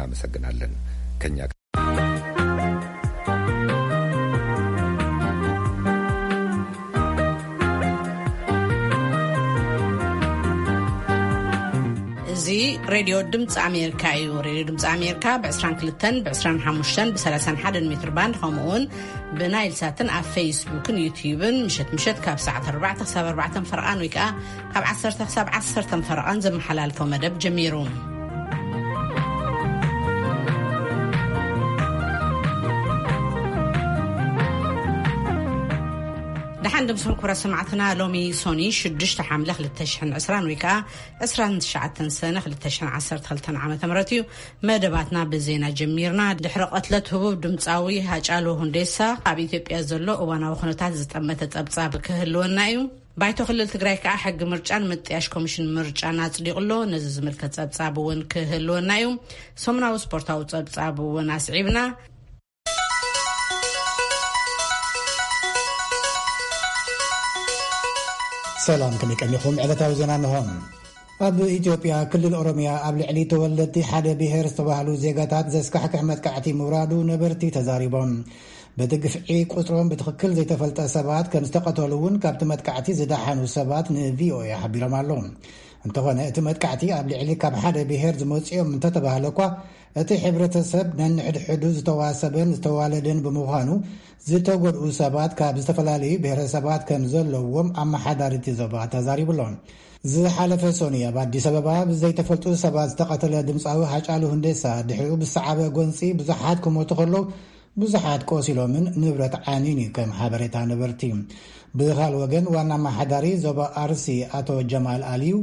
እናመሰግናለን። ከኛ እዚ ሬድዮ ድምፂ ኣሜሪካ እዩ። ሬድዮ ድምፂ ኣሜሪካ ብ22፣ ብ25፣ ብ31 ሜትር ባንድ፣ ከምኡ እውን ብናይል ሳትን ኣብ ፌስቡክን ዩትዩብን ምሸት ምሸት ካብ ሰዓት ኣርባዕተ ክሳብ ኣርባዕተ ፈረቓን ወይ ከዓ ካብ ዓሰርተ ክሳብ ዓሰርተ ፈረቓን ዘመሓላልፎ መደብ ጀሚሩ። ደሓን ድምስኹም ክብረ ሰማዕትና። ሎሚ ሶኒ ሽዱሽተ ሓምለ ክልተ ሽሕን ዕስራን ወይ ከዓ ዕስራን ትሽዓተን ሰነ ክልተ ሽሕን ዓሰርተ ክልተን ዓመተ ምህረት እዩ። መደባትና ብዜና ጀሚርና። ድሕሪ ቀትለት ህቡብ ድምፃዊ ሃጫሉ ሁንዴሳ፣ ኣብ ኢትዮጵያ ዘሎ እዋናዊ ኩነታት ዝጠመተ ጸብጻብ ክህልወና እዩ። ባይቶ ክልል ትግራይ ከዓ ሕጊ ምርጫን ምጥያሽ ኮሚሽን ምርጫን ኣጽዲቑ ኣሎ። ነዚ ዝምልከት ጸብጻብ እውን ክህልወና እዩ። ሰሙናዊ ስፖርታዊ ጸብጻብ እውን ኣስዒብና። ሰላም፣ ከመይ ቀኒኹም? ዕለታዊ ዜና እንሆ። ኣብ ኢትዮጵያ ክልል ኦሮሚያ ኣብ ልዕሊ ተወለድቲ ሓደ ብሔር ዝተባህሉ ዜጋታት ዘስካሕክሕ መጥቃዕቲ ምውራዱ ነበርቲ ተዛሪቦም። በቲ ግፍዒ ቁጽሮም ብትኽክል ዘይተፈልጠ ሰባት ከም ዝተቐተሉ እውን ካብቲ መጥቃዕቲ ዝደሓኑ ሰባት ንቪኦኤ ሓቢሮም ኣለዉ። እንተኾነ እቲ መጥቃዕቲ ኣብ ልዕሊ ካብ ሓደ ብሔር ዝመጽኦም እንተተባህለ እኳ እቲ ሕብረተሰብ ነንሕድሕዱ ዝተዋሰበን ዝተዋለደን ብምዃኑ ዝተጎድኡ ሰባት ካብ ዝተፈላለዩ ብሔረሰባት ከም ዘለዎም ኣመሓዳሪ እቲ ዞባ ተዛሪቡ ኣሎ። ዝሓለፈ ሶኒ ኣብ ኣዲስ ኣበባ ብዘይተፈልጡ ሰባት ዝተቐተለ ድምፃዊ ሃጫሉ ሁንዴሳ ድሕሪኡ ብዝሰዓበ ጎንፂ ብዙሓት ክሞቱ ከለዉ ብዙሓት ቆሲሎምን ንብረት ዓንዩን እዩ ከም ሓበሬታ ነበርቲ። ብኻል ወገን ዋና ኣመሓዳሪ ዞባ ኣርሲ ኣቶ ጀማል ኣልዩ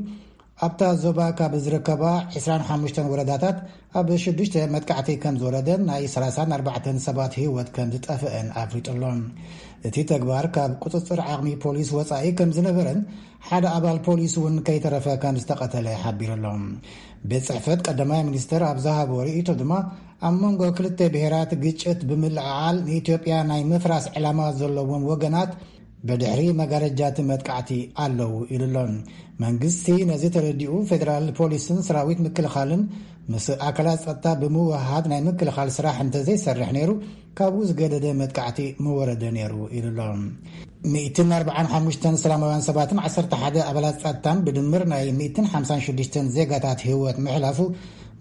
ኣብታ ዞባ ካብ ዝርከባ ዕስራን ሓሙሽተን ወረዳታት ኣብ ሽዱሽተ መጥቃዕቲ ከም ዝወረደን ናይ ሰላሳን ኣርባዕተን ሰባት ህይወት ከም ዝጠፍአን ኣፍሊጡ ኣሎ። እቲ ተግባር ካብ ቁፅፅር ዓቕሚ ፖሊስ ወፃኢ ከም ዝነበረን ሓደ ኣባል ፖሊስ እውን ከይተረፈ ከም ዝተቐተለ ሓቢሩ ኣሎ። ቤት ፅሕፈት ቀዳማይ ሚኒስትር ኣብ ዝሃቦ ርእይቶ ድማ ኣብ መንጎ ክልተ ብሔራት ግጭት ብምልዕዓል ንኢትዮጵያ ናይ ምፍራስ ዕላማ ዘለዎም ወገናት ብድሕሪ መጋረጃ እቲ መጥቃዕቲ ኣለዉ ኢሉ ኣሎ። መንግስቲ ነዚ ተረዲኡ ፌደራል ፖሊስን ሰራዊት ምክልኻልን ምስ ኣካላት ጸጥታ ብምውሃሃድ ናይ ምክልኻል ስራሕ እንተዘይሰርሕ ነይሩ ካብኡ ዝገደደ መጥቃዕቲ ምወረደ ነይሩ ኢሉ ኣሎ። ሚእትን ኣርባዓን ሓሙሽተን ሰላማውያን ሰባትን ዓሰርተ ሓደ ኣባላት ጸጥታን ብድምር ናይ ሚእትን ሓምሳን ሽዱሽተን ዜጋታት ህይወት ምሕላፉ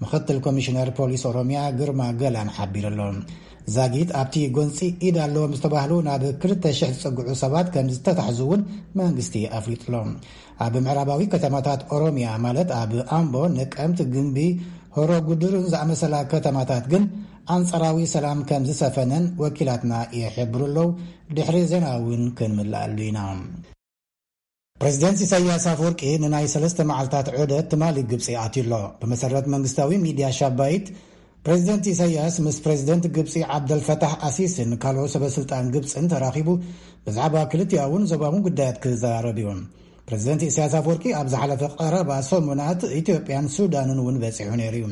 ምኽትል ኮሚሽነር ፖሊስ ኦሮሚያ ግርማ ገላን ሓቢሩ ኣሎ። ዛጊት ኣብቲ ጎንፂ ኢድ ኣለዎም ዝተባህሉ ናብ ክልተ ሽሕ ዝፀግዑ ሰባት ከም ዝተታሕዙ እውን መንግስቲ ኣፍሊጡ ኣሎ። ኣብ ምዕራባዊ ከተማታት ኦሮሚያ ማለት ኣብ ኣምቦ፣ ነቀምት፣ ግንቢ፣ ሆሮ ጉድሩን ዝኣመሰላ ከተማታት ግን ኣንጻራዊ ሰላም ከም ዝሰፈነን ወኪላትና ይሕብሩ ኣለዉ። ድሕሪ ዜና እውን ክንምልኣሉ ኢና። ፕሬዚደንት ኢሳያስ ኣፈወርቂ ንናይ ሰለስተ መዓልታት ዑደት ትማሊ ግብፂ ኣትዩ ኣሎ። ብመሰረት መንግስታዊ ሚድያ ሻባይት፣ ፕሬዚደንት ኢሳያስ ምስ ፕሬዚደንት ግብፂ ዓብደልፈታሕ ኣሲስን ካልኦት ሰበስልጣን ግብፅን ተራኺቡ ብዛዕባ ክልቲኣውን ዞባውን ጉዳያት ክዘራረብ እዩ። ፕሬዚደንት ኢሳያስ ኣፈወርቂ ኣብ ዝሓለፈ ቀረባ ሰሙናት ኢትዮጵያን ሱዳንን እውን በፂሑ ነይሩ እዩ።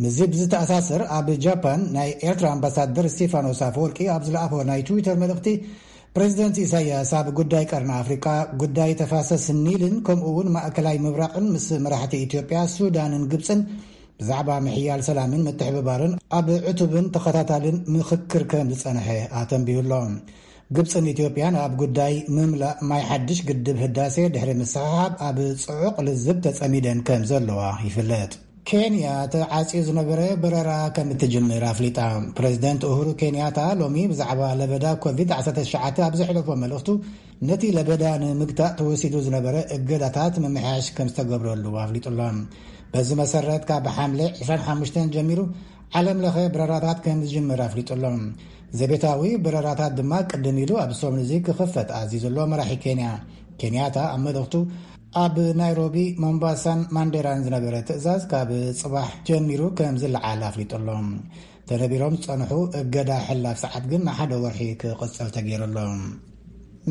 ምስዚ ብዝተኣሳሰር ኣብ ጃፓን ናይ ኤርትራ ኣምባሳደር ስቴፋኖስ ኣፈወርቂ ኣብ ዝለኣኾ ናይ ትዊተር መልእኽቲ ፕሬዚደንት ኢሳያስ ኣብ ጉዳይ ቀርኒ ኣፍሪቃ፣ ጉዳይ ተፋሰስ ኒልን ከምኡ እውን ማእከላይ ምብራቕን ምስ መራሕቲ ኢትዮጵያ፣ ሱዳንን ግብፅን ብዛዕባ ምሕያል ሰላምን ምትሕብባርን ኣብ ዕቱብን ተኸታታልን ምኽክር ከም ዝጸንሐ ኣተንቢሁ ኣሎ። ግብፅን ኢትዮጵያን ኣብ ጉዳይ ምምላእ ማይ ሓድሽ ግድብ ህዳሴ ድሕሪ ምስሕሓብ ኣብ ጽዑቕ ልዝብ ተጸሚደን ከም ዘለዋ ይፍለጥ። ኬንያ ተዓጽዩ ዝነበረ በረራ ከም እትጅምር ኣፍሊጣ። ፕሬዚደንት ኡሁሩ ኬንያታ ሎሚ ብዛዕባ ለበዳ ኮቪድ ዓሰርተ ትሽዓተ ኣብ ዘሕለፎ መልእኽቱ፣ ነቲ ለበዳ ንምግታእ ተወሲዱ ዝነበረ እገዳታት ምምሕያሽ ከም ዝተገብረሉ ኣፍሊጡ ኣሎ። በዚ መሰረት፣ ካብ ሓምለ ዕስራን ሓሙሽተን ጀሚሩ ዓለም ለኸ በረራታት ከም ዝጅምር ኣፍሊጡ ኣሎ። ዘቤታዊ በረራታት ድማ ቅድም ኢሉ ኣብ ሰሙን እዚ ክኽፈት ኣዚዙ ኣሎ መራሒ ኬንያ። ኬንያታ ኣብ መልእኽቱ፣ ኣብ ናይሮቢ፣ ሞምባሳን ማንዴራን ዝነበረ ትእዛዝ ካብ ጽባሕ ጀሚሩ ከም ዝለዓል ኣፍሊጡ ኣሎ። ተነቢሮም ዝጸንሑ እገዳ ሕላፍ ሰዓት ግን ንሓደ ወርሒ ክቕጽል ተገይሩ ኣሎ።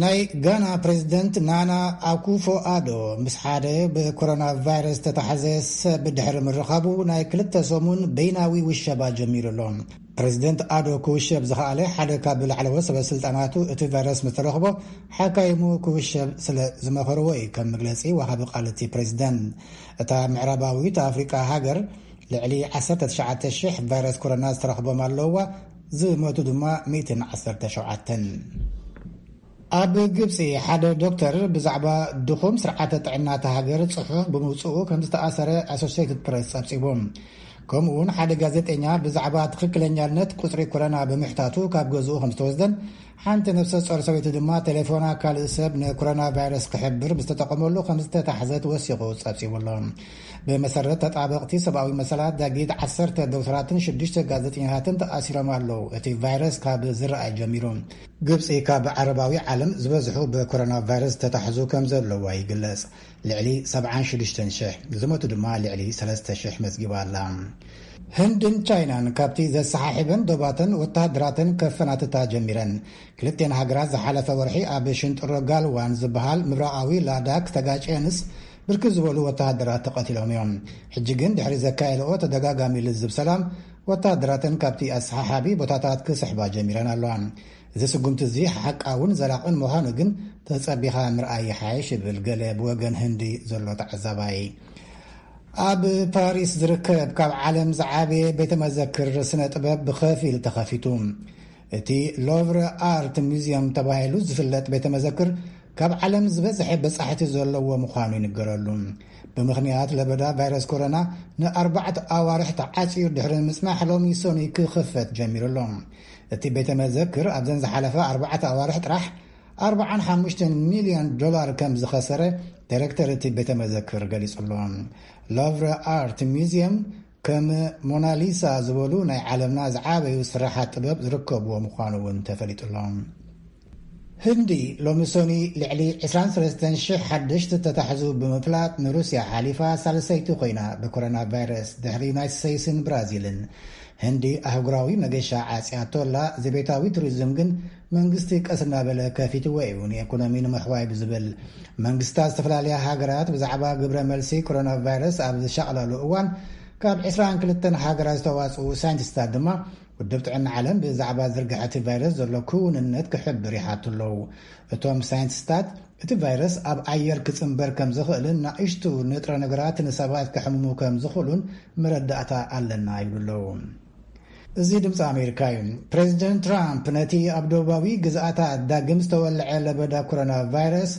ናይ ጋና ፕሬዚደንት ናና ኣኩፎ ኣዶ ምስ ሓደ ብኮሮና ቫይረስ ዝተታሕዘ ሰብ ድሕሪ ምርኻቡ ናይ ክልተ ሰሙን በይናዊ ውሸባ ጀሚሩ ኣሎ። ፕሬዚደንት ኣዶ ክውሸብ ዝኸኣለ ሓደ ካብ ላዕለዎት ሰበ ስልጣናቱ እቲ ቫይረስ ምስ ተረኽቦ ሓካይሙ ክውሸብ ስለ ዝመኸርዎ እዩ፣ ከም መግለጺ ወሃቢ ቃል እቲ ፕሬዚደንት። እታ ምዕራባዊት ኣፍሪቃ ሃገር ልዕሊ ዓሰርተ ትሽዓተ ሽሕ ቫይረስ ኮሮና ዝተረኽቦም ኣለውዋ፣ ዝሞቱ ድማ ሚእትን ዓሰርተ ሸውዓተን። ኣብ ግብጺ ሓደ ዶክተር ብዛዕባ ድኹም ስርዓተ ጥዕና እታ ሃገር ጽሑፍ ብምውጽኡ ከም ዝተኣሰረ ኣሶሲየትድ ፕረስ ጸብጺቡ። ከምኡ እውን ሓደ ጋዜጠኛ ብዛዕባ ትኽክለኛነት ቁጽሪ ኮሮና ብምሕታቱ ካብ ገዝኡ ከም ዝተወስደን፣ ሓንቲ ነፍሰ ጾር ሰበይቲ ድማ ቴሌፎና ካልእ ሰብ ንኮሮና ቫይረስ ክሕብር ዝተጠቐመሉ ከም ዝተታሕዘት ወሲኹ ጸብጺቡ ኣሎ። ብመሰረት ተጣበቕቲ ሰብኣዊ መሰላት፣ ዳጊት ዓሰርተ ዶክተራትን ሽዱሽተ ጋዜጠኛታትን ተኣሲሮም ኣለዉ። እቲ ቫይረስ ካብ ዝረኣይ ጀሚሩ፣ ግብጺ ካብ ዓረባዊ ዓለም ዝበዝሑ ብኮሮና ቫይረስ ዝተታሕዙ ከም ዘለዋ ይግለጽ። ልዕሊ ሰብዓን ሽዱሽተን ሽሕ፣ ዝሞቱ ድማ ልዕሊ ሰለስተ ሽሕ መዝጊባ ኣላ። ህንድን ቻይናን ካብቲ ዘሰሓሕበን ዶባተን ወተሃደራተን ከፈናትታ ጀሚረን። ክልቴን ሃገራት ዝሓለፈ ወርሒ ኣብ ሽንጥሮ ጋልዋን ዝበሃል ምብራቓዊ ላዳክ ተጋጭየንስ፣ ብርክት ዝበሉ ወተሃደራት ተቐቲሎም እዮም። ሕጂ ግን ድሕሪ ዘካየድኦ ተደጋጋሚ ልዝብ ሰላም፣ ወተሃደራተን ካብቲ ኣሰሓሓቢ ቦታታት ክስሕባ ጀሚረን ኣለዋ። እዚ ስጉምቲ እዚ ሓቃውን ዘላቕን ምዃኑ ግን ተጸቢኻ ምርኣይ ይሓይሽ፣ ይብል ገለ ብወገን ህንዲ ዘሎ ተዓዛባይ። ኣብ ፓሪስ ዝርከብ ካብ ዓለም ዝዓበየ ቤተ መዘክር ስነ ጥበብ ብኸፊል ተኸፊቱ። እቲ ሎቭረ ኣርት ሙዚየም ተባሂሉ ዝፍለጥ ቤተ መዘክር ካብ ዓለም ዝበዝሐ በጻሕቲ ዘለዎ ምዃኑ ይንገረሉ። ብምኽንያት ለበዳ ቫይረስ ኮሮና ንኣርባዕተ ኣዋርሕ ተዓጽዩ ድሕሪ ምጽናሕ፣ ሎሚ ሰኑይ ክኽፈት ጀሚሩ ኣሎ። እቲ ቤተ መዘክር ኣብዘን ዝሓለፈ ኣርባዕተ ኣዋርሕ ጥራሕ ኣርባዓን ሓሙሽተን ሚልዮን ዶላር ከም ዝኸሰረ ዳይሬክተር እቲ ቤተ መዘክር ገሊጹ ኣሎ። ሎቭረ ኣርት ሙዚየም ከም ሞናሊሳ ዝበሉ ናይ ዓለምና ዝዓበዩ ስራሓት ጥበብ ዝርከብዎ ምዃኑ እውን ተፈሊጡ ኣሎ። ህንዲ ሎሚ ሰኑይ ልዕሊ ዕስራን ሰለስተን ሽሕ ሓደሽቲ ተታሕዙ ብምፍላጥ፣ ንሩስያ ሓሊፋ ሳልሰይቲ ኮይና ብኮሮና ቫይረስ፣ ድሕሪ ዩናይትድ ስቴትስን ብራዚልን። ህንዲ ኣህጉራዊ መገሻ ዓጽያቶ ኣላ። ዘቤታዊ ቱሪዝም ግን መንግስቲ ቀስ እናበለ ከፊትዎ እዩ፣ ንኢኮኖሚ ንምሕዋይ ብዝብል። መንግስታት ዝተፈላለያ ሃገራት ብዛዕባ ግብረ መልሲ ኮሮና ቫይረስ ኣብ ዝሻቕላሉ እዋን፣ ካብ ዕስራን ክልተን ሃገራት ዝተዋጽኡ ሳይንቲስታት ድማ፣ ውድብ ጥዕና ዓለም ብዛዕባ ዝርግሐ እቲ ቫይረስ ዘሎ ክውንነት ክሕብር ይሓቱ ኣለዉ። እቶም ሳይንቲስታት፣ እቲ ቫይረስ ኣብ ኣየር ክጽንበር ከም ዝኽእልን ንኣሽቱ ንጥረ ነገራት ንሰባት ከሕምሙ ከም ዝኽእሉን መረዳእታ ኣለና ይብሉ ኣለዉ። እዚ ድምፂ ኣሜሪካ እዩ። ፕሬዚደንት ትራምፕ ነቲ ኣብ ደቡባዊ ግዝኣታት ዳግም ዝተወልዐ ለበዳ ኮሮና ቫይረስ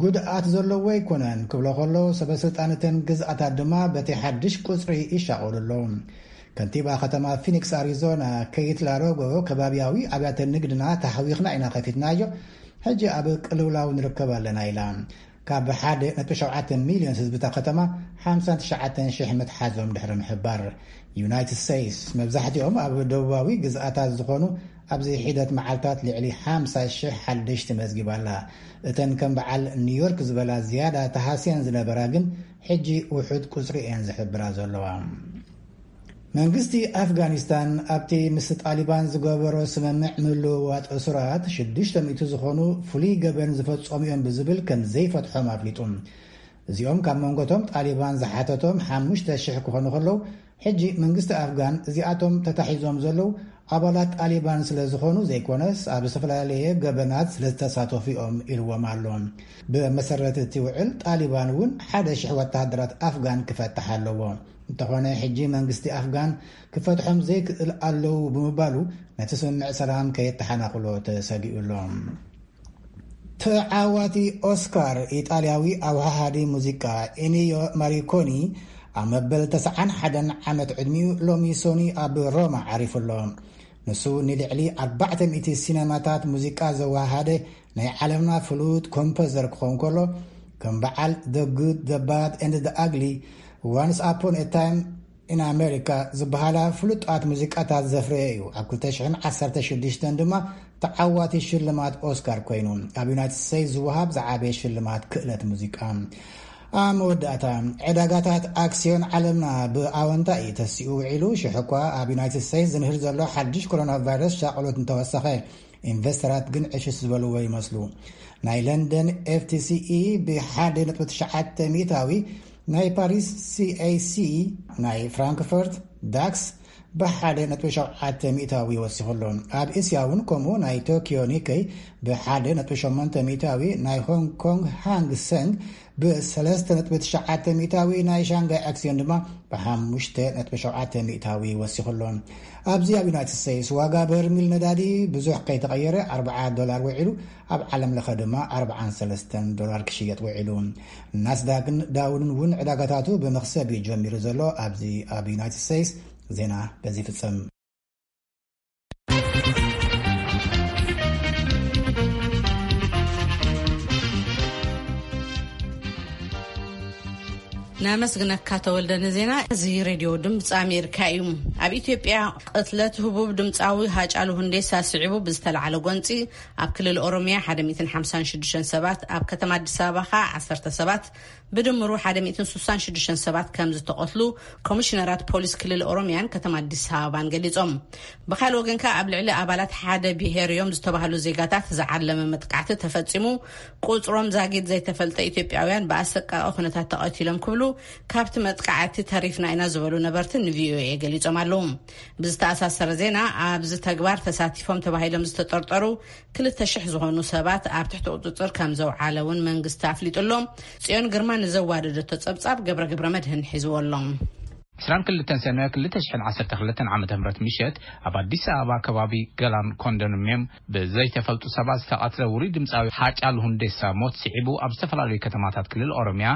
ጉድኣት ዘለዎ ኣይኮነን ክብሎ ከሎ፣ ሰበ ስልጣን እተን ግዝኣታት ድማ በቲ ሓድሽ ቁፅሪ ይሻቐሉ ኣለዉ። ከንቲባ ከተማ ፊኒክስ ኣሪዞና ኬይት ላሮጎ፣ ከባቢያዊ ኣብያተ ንግድና ተሃዊኽና ኢና ከፊትናዮ፣ ሕጂ ኣብ ቅልውላው ንርከብ ኣለና ኢላ። ካብ ሓደ ነጥቢ ሸውዓተ ሚልዮን ህዝቢ እታ ከተማ ሓምሳን ትሽዓተን ሽሕ ምትሓዞም ድሕሪ ምሕባር። ዩናይትድ ስቴትስ መብዛሕትኦም ኣብ ደቡባዊ ግዝኣታት ዝኾኑ ኣብዚ ሒደት መዓልታት ልዕሊ ሓምሳ ሽሕ ሓደሽቲ መዝጊባ ኣላ። እተን ከም በዓል ኒውዮርክ ዝበላ ዝያዳ ተሃስየን ዝነበራ ግን ሕጂ ውሑድ ቁጽሪ እየን ዝሕብራ ዘለዋ። መንግስቲ ኣፍጋኒስታን ኣብቲ ምስ ጣሊባን ዝገበሮ ስምምዕ ምልውዋጥ እሱራት ሽዱሽተ ሚእቲ ዝኾኑ ፍሉይ ገበን ዝፈጸሙ እዮም ብዝብል ከም ዘይፈትሖም ኣፍሊጡ። እዚኦም ካብ መንጎቶም ጣሊባን ዝሓተቶም ሓሙሽተ ሽሕ ክኾኑ ከለዉ፣ ሕጂ መንግስቲ ኣፍጋን እዚኣቶም ተታሒዞም ዘለዉ ኣባላት ጣሊባን ስለ ዝኾኑ ዘይኮነስ፣ ኣብ ዝተፈላለየ ገበናት ስለ ዝተሳተፉ እዮም ኢልዎም ኣሎ። ብመሰረት እቲ ውዕል፣ ጣሊባን እውን ሓደ ሽሕ ወተሃደራት ኣፍጋን ክፈትሕ ኣለዎ። እንተኾነ፣ ሕጂ መንግስቲ ኣፍጋን ክፈትሖም ዘይክእል ኣለዉ ብምባሉ፣ ነቲ ስምምዕ ሰላም ከየተሓናኽሎ ተሰጊኡ ኣሎ። ተዓዋቲ ኦስካር ኢጣልያዊ ኣውሃሃዲ ሙዚቃ ኢኒዮ ማሪኮኒ፣ ኣብ መበል ተስዓን ሓደን ዓመት ዕድሚኡ ሎሚ ሶኒ ኣብ ሮማ ዓሪፉ ኣሎ። ንሱ ንልዕሊ ኣርባዕተ ሚእቲ ሲነማታት ሙዚቃ ዘወሃሃደ ናይ ዓለምና ፍሉጥ ኮምፖዘር ክኸውን ከሎ፣ ከም በዓል The Good, The Bad and The Ugly፣ Once Upon a Time in America ዝበሃላ ፍሉጣት ሙዚቃታት ዘፍረየ እዩ። ኣብ ክልተ ሽሕን ዓሰርተ ሽዱሽተን ድማ ተዓዋቲ ሽልማት ኦስካር ኮይኑ፣ ኣብ ዩናይትድ ስቴትስ ዝወሃብ ዝዓበየ ሽልማት ክእለት ሙዚቃ። ኣብ መወዳእታ፣ ዕዳጋታት ኣክስዮን ዓለምና ብኣወንታ እዩ ተሲኡ ውዒሉ። ሽሕ እኳ ኣብ ዩናይትድ ስቴትስ ዝንህር ዘሎ ሓድሽ ኮሮና ቫይረስ ሻቕሎት እንተወሰኸ፣ ኢንቨስተራት ግን ዕሽሽ ዝበልዎ ይመስሉ። ናይ ለንደን ኤፍቲሲኢ ብሓደ ነጥቢ ትሽዓተ ሚእታዊ፣ ናይ ፓሪስ ሲኤሲ፣ ናይ ፍራንክፈርት ዳክስ ብሓደ ነጥቢ ሸውዓተ ሚእታዊ ወሲኹ ኣሎ። ኣብ እስያ እውን ከምኡ፣ ናይ ቶኪዮ ኒከይ ብሓደ ነጥቢ ሸሞንተ ሚእታዊ፣ ናይ ሆንግ ኮንግ ሃንግ ሰንግ ብሰለስተ ነጥቢ ትሽዓተ ሚእታዊ፣ ናይ ሻንጋይ ኣክሲዮን ድማ ብሓሙሽተ ነጥቢ ሸውዓተ ሚእታዊ ወሲኹ ኣሎ። ኣብዚ ኣብ ዩናይትድ ስቴትስ ዋጋ በርሚል ነዳዲ ብዙሕ ከይተቐየረ ኣርብዓ ዶላር ውዒሉ፣ ኣብ ዓለም ለኸ ድማ ኣርብዓን ሰለስተን ዶላር ክሽየጥ ውዒሉ። ናስዳግን ዳውንን እውን ዕዳጋታቱ ብመኽሰብ እዩ ጀሚሩ ዘሎ። ኣብዚ ኣብ ዩናይትድ ስቴትስ ዜና በዚ ይፍጸም። ነመስግነካ ተወልደ ንዜና። እዚ ሬድዮ ድምፂ ኣሜሪካ እዩ። ኣብ ኢትዮጵያ ቅትለት ህቡብ ድምፃዊ ሃጫሉ ሁንዴሳ ስዒቡ ብዝተላዓለ ጎንፂ ኣብ ክልል ኦሮሚያ ሓደ ሚእትን ሓምሳን ሽዱሽተን ሰባት፣ ኣብ ከተማ ኣዲስ ኣበባ ከዓ ዓሰርተ ሰባት፣ ብድምሩ ሓደ ሚእትን ስሳን ሽዱሽተን ሰባት ከም ዝተቐትሉ ኮሚሽነራት ፖሊስ ክልል ኦሮሚያን ከተማ ኣዲስ ኣበባን ገሊጾም። ብኻልእ ወገን ከኣ ኣብ ልዕሊ ኣባላት ሓደ ብሄር እዮም ዝተባህሉ ዜጋታት ዝዓለመ መጥቃዕቲ ተፈጺሙ፣ ቁጽሮም ዛጊድ ዘይተፈልጠ ኢትዮጵያውያን ብኣሰቃቂ ኩነታት ተቐቲሎም ክብሉ ካብቲ መጥቃዕቲ ተሪፍና ኢና ዝበሉ ነበርቲ ንቪኦኤ ገሊጾም ኣለዉ። ብዝተኣሳሰረ ዜና፣ ኣብዚ ተግባር ተሳቲፎም ተባሂሎም ዝተጠርጠሩ ክልተ ሽሕ ዝኾኑ ሰባት ኣብ ትሕቲ ቁጽጽር ከም ዘውዓለ እውን መንግስቲ ኣፍሊጡ ኣሎ። ጽዮን ግርማ ንዘዋደደቶ ጸብጻብ ገብረ ገብረ መድህን ሒዝዎ ኣሎ። ዕስራን ክልተን ሰነ ክልተ ሽሕን ዓሰርተ ክልተን ዓመተ ምህረት ምሸት ኣብ ኣዲስ ኣበባ ከባቢ ገላን ኮንዶሚንየም ብዘይተፈልጡ ሰባት ዝተቐትለ ውሩይ ድምፃዊ ሃጫሉ ሁንዴሳ ሞት ስዒቡ ኣብ ዝተፈላለዩ ከተማታት ክልል ኦሮሚያ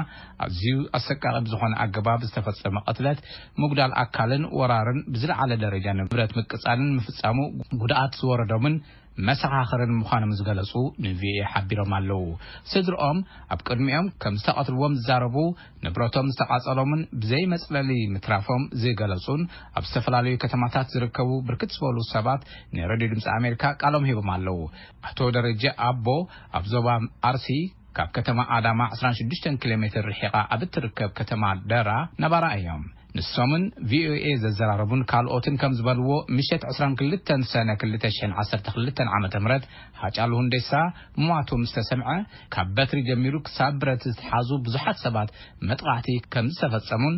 ኣዝዩ ኣሰቃቂ ብዝኾነ ኣገባብ ዝተፈጸመ ቅትለት፣ ምጉዳል ኣካልን ወራርን ብዝለዓለ ደረጃ ንብረት ምቅጻልን ምፍጻሙ ጉድኣት ዝወረዶምን መሰኻኽርን ምዃኖም ዝገለጹ ንቪኦኤ ሓቢሮም ኣለዉ። ስድርኦም ኣብ ቅድሚኦም ከም ዝተቐትልዎም ዝዛረቡ፣ ንብረቶም ዝተቓጸሎምን ብዘይ መጽለሊ ምትራፎም ዝገለጹን ኣብ ዝተፈላለዩ ከተማታት ዝርከቡ ብርክት ዝበሉ ሰባት ንሬድዮ ድምፂ ኣሜሪካ ቃሎም ሂቦም ኣለዉ። ኣቶ ደረጀ ኣቦ ኣብ ዞባ ኣርሲ ካብ ከተማ ኣዳማ ዕስራን ሽዱሽተን ኪሎ ሜትር ርሒቓ ኣብ እትርከብ ከተማ ደራ ነባራ እዮም። ንሶምን ቪኦኤ ዘዘራረቡን ካልኦትን ከም ዝበልዎ፣ ምሸት ዕስራን ክልተን ሰነ ክልተ ሽሕን ዓሰርተ ክልተን ዓመተ ምህረት ሃጫሉ ሁንዴሳ ምሟቱ ምስ ተሰምዐ፣ ካብ በትሪ ጀሚሩ ክሳብ ብረት ዝተሓዙ ብዙሓት ሰባት መጥቃዕቲ ከም ዝተፈጸሙን፣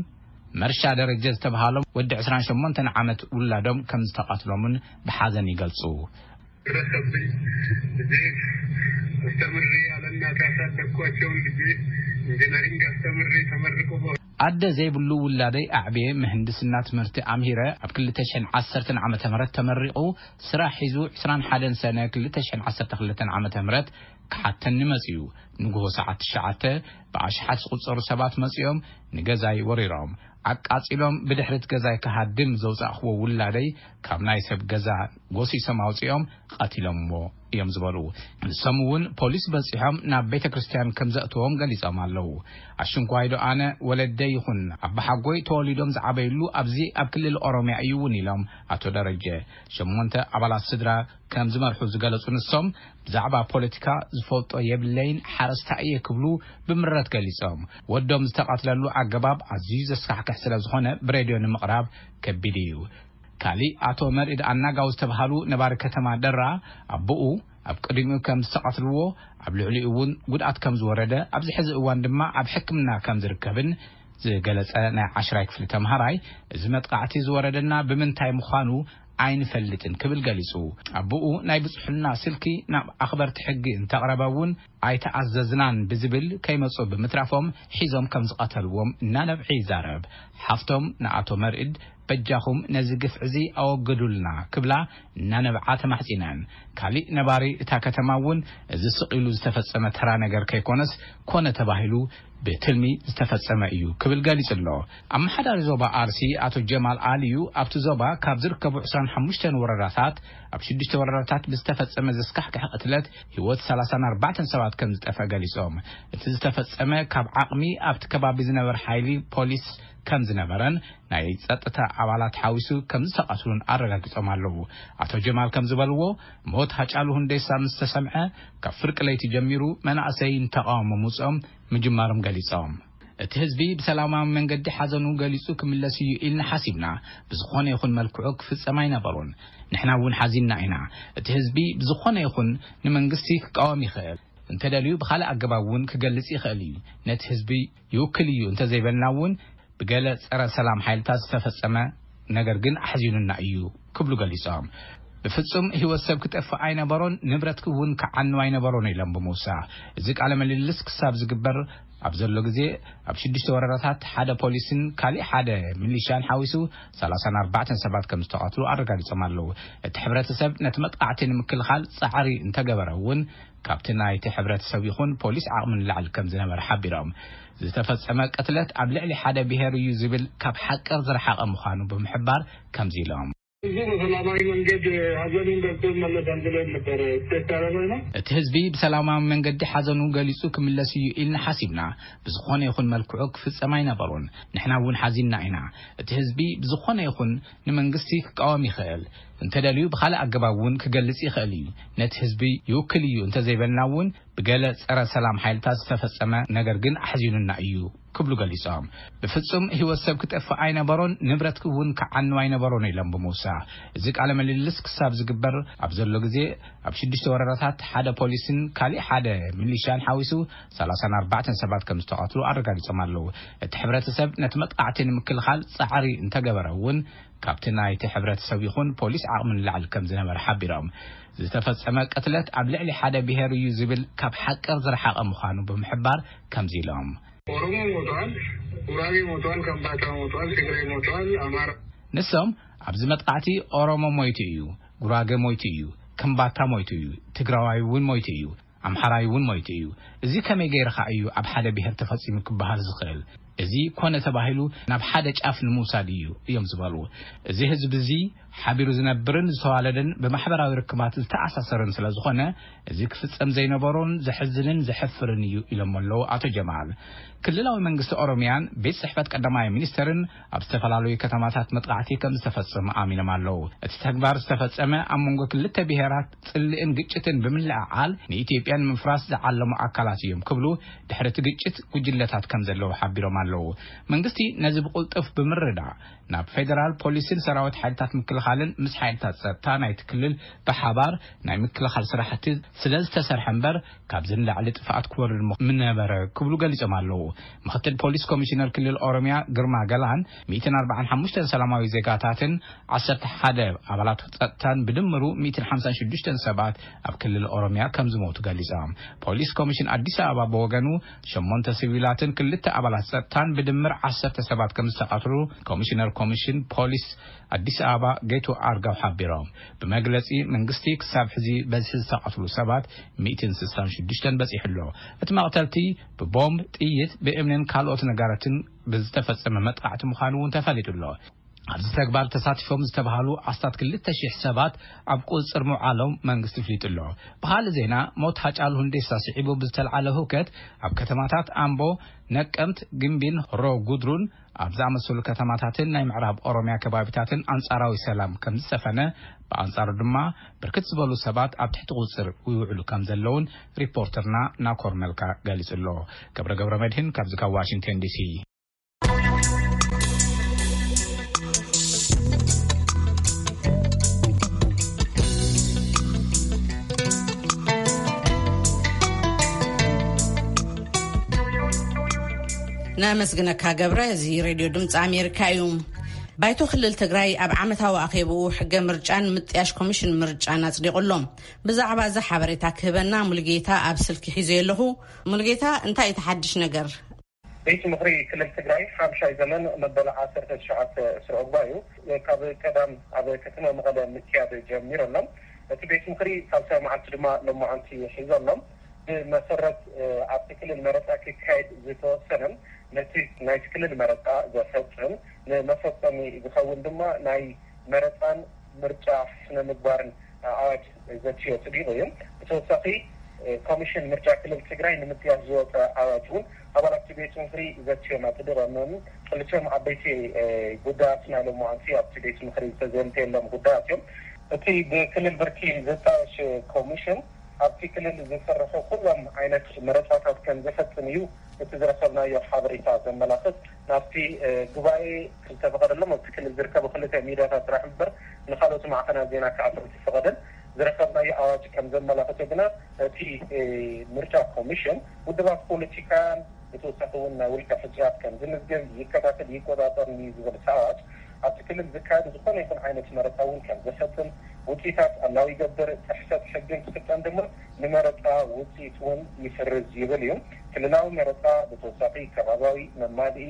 መርሻ ደረጀ ዝተብሃሎም ወዲ ዕስራን ሸሞንተን ዓመት ውላዶም ከም ዝተቐትሎምን ብሓዘን ይገልጹ። ደረሰብኝ። ልጄ አስተምሬ ያለ እናት ያሳደግኳቸውን ልጄ ኢንጂነሪንግ አስተምሬ ተመርቆ በ- ኣደ ዘይብሉ ውላደይ ኣዕብየ ምህንድስና ትምህርቲ ኣምሂረ ኣብ ክልተ ሽሕን ዓሰርተን ዓመተ ምህረት ተመሪቑ ስራሕ ሒዙ ዕስራን ሓደን ሰነ ክልተ ሽሕን ዓሰርተ ክልተን ዓመተ ምህረት ክሓተኒ መጺኡ። ንግሆ ሰዓት ትሽዓተ ብኣሽሓት ዝቑጸሩ ሰባት መጺኦም ንገዛይ ወሪሮም ኣቃጺሎም፣ ብድሕሪት ገዛይ ክሃድም ዘውጻእኽዎ ውላደይ ካብ ናይ ሰብ ገዛ ጎሲሶም ኣውጺኦም ቀቲሎምዎ እዮም ዝበሉ። ንሶም እውን ፖሊስ በጺሖም ናብ ቤተ ክርስቲያን ከም ዘእትዎም ገሊጾም ኣለዉ። ኣሽንኳይዶ ኣነ ወለደይ ይኹን ኣባሓጎይ ተወሊዶም ዝዓበይሉ ኣብዚ ኣብ ክልል ኦሮሚያ እዩ እውን ኢሎም ኣቶ ደረጀ። ሸሞንተ ኣባላት ስድራ ከም ዝመርሑ ዝገለጹ ንሶም፣ ብዛዕባ ፖለቲካ ዝፈልጦ የብለይን፣ ሓረስታይ እየ ክብሉ ብምረት ገሊጾም። ወዶም ዝተቐትለሉ ኣገባብ ኣዝዩ ዘስካሕክሕ ስለ ዝኾነ ብሬድዮ ንምቕራብ ከቢድ እዩ። ካሊእ ኣቶ መርኢድ ኣናጋው ዝተብሃሉ ነባሪ ከተማ ደራ፣ ኣቦኡ ኣብ ቅድሚኡ ከም ዝተቐትልዎ፣ ኣብ ልዕሊኡ እውን ጉድኣት ከም ዝወረደ፣ ኣብዚ ሕዚ እዋን ድማ ኣብ ሕክምና ከም ዝርከብን ዝገለጸ ናይ ዓሽራይ ክፍሊ ተምሃራይ፣ እዚ መጥቃዕቲ ዝወረደና ብምንታይ ምዃኑ ኣይንፈልጥን ክብል ገሊጹ። ኣቦኡ ናይ ብጽሑልና ስልኪ ናብ ኣኽበርቲ ሕጊ እንተቕረበ እውን ኣይተኣዘዝናን ብዝብል ከይመጹ ብምትራፎም ሒዞም ከም ዝቐተልዎም እናነብዐ ይዛረብ። ሓፍቶም ንኣቶ መርኢድ በጃኹም ነዚ ግፍዒ እዚ ኣወግዱልና ክብላ እናነብዓ ተማሕጺነን። ካሊእ ነባሪ እታ ከተማ እውን እዚ ስቕ ኢሉ ዝተፈጸመ ተራ ነገር ከይኮነስ ኮነ ተባሂሉ ብትልሚ ዝተፈጸመ እዩ ክብል ገሊጹ ኣሎ። ኣመሓዳሪ ዞባ ኣርሲ ኣቶ ጀማል ኣልዩ ኣብቲ ዞባ ካብ ዝርከቡ ዕስራን ሓሙሽተን ወረዳታት ኣብ ሽዱሽተ ወረዳታት ብዝተፈጸመ ዘስካሕክሕ ቅትለት ህይወት ሰላሳን ኣርባዕተን ሰባት ከም ዝጠፍአ ገሊጾም። እቲ ዝተፈጸመ ካብ ዓቕሚ ኣብቲ ከባቢ ዝነበር ሓይሊ ፖሊስ ከም ዝነበረን ናይ ጸጥታ ኣባላት ሓዊሱ ከም ዝተቐትሉን ኣረጋጊጾም ኣለዉ። ኣቶ ጀማል ከም ዝበልዎ፣ ሞት ሃጫሉ ሁንዴሳ ምስ ተሰምዐ፣ ካብ ፍርቂ ለይቲ ጀሚሩ መናእሰይ ንተቓውሞ ምውጽኦም ምጅማሮም ገሊጾም። እቲ ህዝቢ ብሰላማዊ መንገዲ ሓዘኑ ገሊጹ ክምለስ እዩ ኢልና ሓሲብና፣ ብዝኾነ ይኹን መልክዑ ክፍጸም ኣይነበሮን። ንሕና እውን ሓዚንና ኢና። እቲ ህዝቢ ብዝኾነ ይኹን ንመንግስቲ ክቃወም ይኽእል፣ እንተደልዩ ብኻልእ ኣገባብ እውን ክገልጽ ይኽእል እዩ። ነቲ ህዝቢ ይውክል እዩ እንተዘይበልና እውን ብገለ ጸረ ሰላም ሓይልታት ዝተፈጸመ ነገር ግን ኣሕዚኑና እዩ ክብሉ ገሊጾም። ብፍጹም ህይወት ሰብ ክጠፍእ ኣይነበሮን፣ ንብረት እውን ክዓኑ ኣይነበሮን ኢሎም ብምውሳኽ፣ እዚ ቃለ ምልልስ ክሳብ ዝግበር ኣብ ዘሎ ግዜ፣ ኣብ ሽዱሽተ ወረዳታት ሓደ ፖሊስን ካሊእ ሓደ ሚሊሻን ሓዊሱ ሰላሳን ኣርባዕተን ሰባት ከም ዝተቐትሉ ኣረጋጊጾም ኣለዉ። እቲ ሕብረተሰብ ነቲ መጥቃዕቲ ንምክልኻል ጻዕሪ እንተገበረ እውን፣ ካብቲ ናይቲ ሕብረተሰብ ይኹን ፖሊስ ዓቕሚ ንላዕሊ ከም ዝነበረ ሓቢሮም። ዝተፈጸመ ቅትለት ኣብ ልዕሊ ሓደ ብሄር እዩ ዝብል ካብ ሓቂ ዝረሓቐ ምዃኑ ብምሕባር ከምዚ ኢሎም። ህዝቡ በሰላማዊ መንገድ ሐዘኑን ገልጾ ይመለሳል ብለን ነበረ ዝተቻለ ነው። እቲ ህዝቢ ብሰላማዊ መንገዲ ሓዘኑ ገሊጹ ክምለስ እዩ ኢልና ሓሲብና። ብዝኾነ ይኹን መልክዑ ክፍጸም ኣይነበሩን። ንሕና እውን ሓዚንና ኢና። እቲ ህዝቢ ብዝኾነ ይኹን ንመንግስቲ ክቃወም ይኽእል። እንተደልዩ ብኻልእ ኣገባብ እውን ክገልጽ ይኽእል እዩ። ነቲ ህዝቢ ይውክል እዩ እንተዘይበልና እውን ብገለ ጸረ ሰላም ሓይልታት ዝተፈጸመ ነገር ግን ኣሕዚኑና እዩ ክብሉ ገሊጾም። ብፍጹም ህይወት ሰብ ክጠፍእ ኣይነበሮን፣ ንብረት እውን ክዓኑ ኣይነበሮን ኢሎም ብምውሳኽ፣ እዚ ቃለ ምልልስ ክሳብ ዝግበር ኣብ ዘሎ ግዜ ኣብ ሽዱሽተ ወረዳታት ሓደ ፖሊስን ካሊእ ሓደ ሚሊሻን ሓዊሱ ሰላሳን ኣርባዕተን ሰባት ከም ዝተቐትሉ ኣረጋጊጾም ኣለዉ። እቲ ሕብረተሰብ ነቲ መጥቃዕቲ ንምክልኻል ጻዕሪ እንተገበረ እውን ካብቲ ናይቲ ሕብረተሰብ ይኹን ፖሊስ ዓቕሚ ንላዕሊ ከም ዝነበረ ሓቢሮም። ዝተፈጸመ ቅትለት ኣብ ልዕሊ ሓደ ብሄር እዩ ዝብል ካብ ሓቂ ዝረሓቐ ምዃኑ ብምሕባር ከምዚ ኢሎም። ኦሮሞ ሞቷል፣ ጉራጌ ሞቷል፣ ከምባታ ሞቷል፣ ትግራይ ሞቷል፣ ኣማራ ንሶም ኣብዚ መጥቃዕቲ ኦሮሞ ሞይቱ እዩ፣ ጉራጌ ሞይቱ እዩ፣ ከምባታ ሞይቱ እዩ፣ ትግራዋይ እውን ሞይቱ እዩ፣ ኣምሓራይ እውን ሞይቱ እዩ። እዚ ከመይ ገይርኻ እዩ ኣብ ሓደ ብሄር ተፈጺሙ ክበሃል ዝኽእል? እዚ ኮነ ተባሂሉ ናብ ሓደ ጫፍ ንምውሳድ እዩ እዮም ዝበሉ። እዚ ህዝቢ እዚ ሓቢሩ ዝነብርን ዝተዋለደን ብማሕበራዊ ርክባት ዝተኣሳሰርን ስለ ዝኾነ፣ እዚ ክፍጸም ዘይነበሮን ዘሕዝንን ዘሕፍርን እዩ ኢሎም ኣለዉ ኣቶ ጀማል። ክልላዊ መንግስቲ ኦሮሚያን ቤት ጽሕፈት ቀዳማይ ሚኒስተርን ኣብ ዝተፈላለዩ ከተማታት መጥቃዕቲ ከም ዝተፈጸመ ኣሚኖም ኣለዉ። እቲ ተግባር ዝተፈጸመ ኣብ መንጎ ክልተ ብሄራት ጽልእን ግጭትን ብምልዕዓል ንኢትዮጵያ ንምፍራስ ዝዓለሙ ኣካላት እዮም ክብሉ ድሕሪ እቲ ግጭት ጉጅለታት ከም ዘለዉ ሓቢሮም ኣለዉ። መንግስቲ ነዚ ብቕልጡፍ ብምርዳእ ናብ ፌደራል ፖሊስን ሰራዊት ሓይልታት ምክልኻልን ምስ ሓይልታት ጸጥታ ናይቲ ክልል ብሓባር ናይ ምክልኻል ስራሕቲ ስለ ዝተሰርሐ እምበር ካብዚ ንላዕሊ ጥፍኣት ክወርድ ምኽ-፣ ምነበረ ክብሉ ገሊጾም ኣለዉ። ምክትል ፖሊስ ኮሚሽነር ክልል ኦሮሚያ ግርማ ገላን ሚእትን ኣርባዓን ሓሙሽተን ሰላማዊ ዜጋታትን ዓሰርተ ሓደ ኣባላት ጸጥታን ብድምሩ ሚእትን ሓምሳን ሽዱሽተን ሰባት ኣብ ክልል ኦሮሚያ ከም ዝሞቱ ገሊጾም። ፖሊስ ኮሚሽን ኣዲስ ኣበባ ብወገኑ ሸሞንተ ሲቪላትን ክልተ ኣባላት ጸጥታን ብድምር ዓሰርተ ሰባት ከም ዝተቐትሉ ኮሚሽነር ኮሚሽን ፖሊስ ኣዲስ ኣበባ ጌቱ ኣርጋው ሓቢሮም። ብመግለጺ መንግስቲ ክሳብ ሕዚ በዝሒ ዝተቐትሉ ሰባት ሚእትን ስሳን ሽዱሽተን በጺሑ ኣሎ። እቲ መቕተልቲ ብቦምብ፣ ጥይት፣ ብእምንን ካልኦት ነጋረትን ብዝተፈጸመ መጥቃዕቲ ምዃኑ እውን ተፈሊጡ ኣሎ። ኣብዚ ተግባር ተሳቲፎም ዝተባሃሉ ኣስታት ክልተ ሽሕ ሰባት ኣብ ቁጽጽር ምውዓሎም መንግስቲ ኣፍሊጡ ኣሎ። ብኻልእ ዜና፣ ሞት ሃጫሉ ሁንዴሳ ስዒቡ ብዝተልዓለ ህውከት ኣብ ከተማታት ኣምቦ፣ ነቀምት፣ ግምቢን ሆሮ ጉድሩን ኣብ ዝኣመሰሉ ከተማታትን ናይ ምዕራብ ኦሮሚያ ከባቢታትን ኣንጻራዊ ሰላም ከም ዝሰፈነ፣ ብኣንጻሩ ድማ ብርክት ዝበሉ ሰባት ኣብ ትሕቲ ቁጽጽር ይውዕሉ ከም ዘለውን ሪፖርተርና ናኮር መልካ ገሊጹ ኣሎ። ገብረ ገብረ መድህን ካብዚ ካብ ዋሽንግተን ዲሲ። ነመስግነካ ገብረ። እዚ ሬድዮ ድምፂ ኣሜሪካ እዩ። ባይቶ ክልል ትግራይ ኣብ ዓመታዊ ኣኼብኡ ሕገ ምርጫን ምጥያሽ ኮሚሽን ምርጫን ኣጽዲቑ ኣሎ። ብዛዕባ እዚ ሓበሬታ ክህበና ሙሉጌታ ኣብ ስልኪ ሒዘ ኣለኹ። ሙሉጌታ፣ እንታይ እቲ ሓድሽ ነገር? ቤት ምኽሪ ክልል ትግራይ ሓምሻይ ዘመን መበል ዓሰርተ ትሽዓተ ስሩዕ ጉባኤኡ ካብ ቀዳም ኣብ ከተማ መቐለ ምክያድ ጀሚሩ ኣሎ። እቲ ቤት ምኽሪ ሳልሳይ መዓልቲ ድማ ሎማዓንቲ ሒዙ ኣሎ። ብመሰረት፣ እ፣ ኣብቲ ክልል መረፃ ክካየድ ዝተወሰነ፣ ነቲ ናይቲ ክልል መረፃ ዘፈፅም፣ ንመፈፀሚ ዝኸውን ድማ ናይ መረፃን ምርጫ ስነ ምግባርን ኣዋጅ ዘትዮ ጽዲቑ እዩ። ብተወሳኺ፣ እ፣ ኮሚሽን ምርጫ ክልል ትግራይ ንምጥያሽ ዝወፀ ኣዋጅ እውን ኣባላት እቲ ቤት ምኽሪ ዘትዮም ኣጽዲቖም። ክልቲኦም ዓበይቲ፣ እ፣ ጉዳያት ናይ ሎማዓንቲ ኣብቲ ቤት ምኽሪ ዝተዘንተየሎም ጉዳያት እዮም። እቲ ብክልል ብርኪ ዝጣየሽ ኮሚሽን ኣብቲ ክልል ዝስርሑ ኩሎም ዓይነት መረፃታት ከም ዘፈፅም እዩ እቲ ዝረኸብናዮ ሓበሬታ ዘመላኽት። ናብቲ፣ እ፣ ጉባኤ ዝተፈቐደሎም ኣብቲ ክልል ዝርከቡ ክልተ ሚድያታት ጥራሕ እምበር ንኻልኦት ማዕኸናት ዜና ክኣትዉ ዝተፈቐደን ዝረኸብናዮ ኣዋጅ ከም ዘመላኽቶ ግና፣ እቲ፣ እ፣ ምርጫ ኮሚሽን ውድባት ፖለቲካን ብተወሳኺ እውን ናይ ውልቀ ሕጹያት ከም ዝምዝገብ ይከታተል ይቆጻጸር እዩ ዝብል እቲ ኣዋጅ ኣብቲ ክልል ዝካየድ ዝኾነ ይኹን ዓይነት መረፃ እውን ከም ዘፈፅም፣ ውፅኢታት ኣላዊ ይገብር፣ ጥሕሰት ሕግን ክፍፀም ድማ ንመረፃ ውፅኢት እውን ይስርዝ ይብል እዩ። ክልላዊ መረፃ ብተወሳኺ ከባባዊ መማልኢ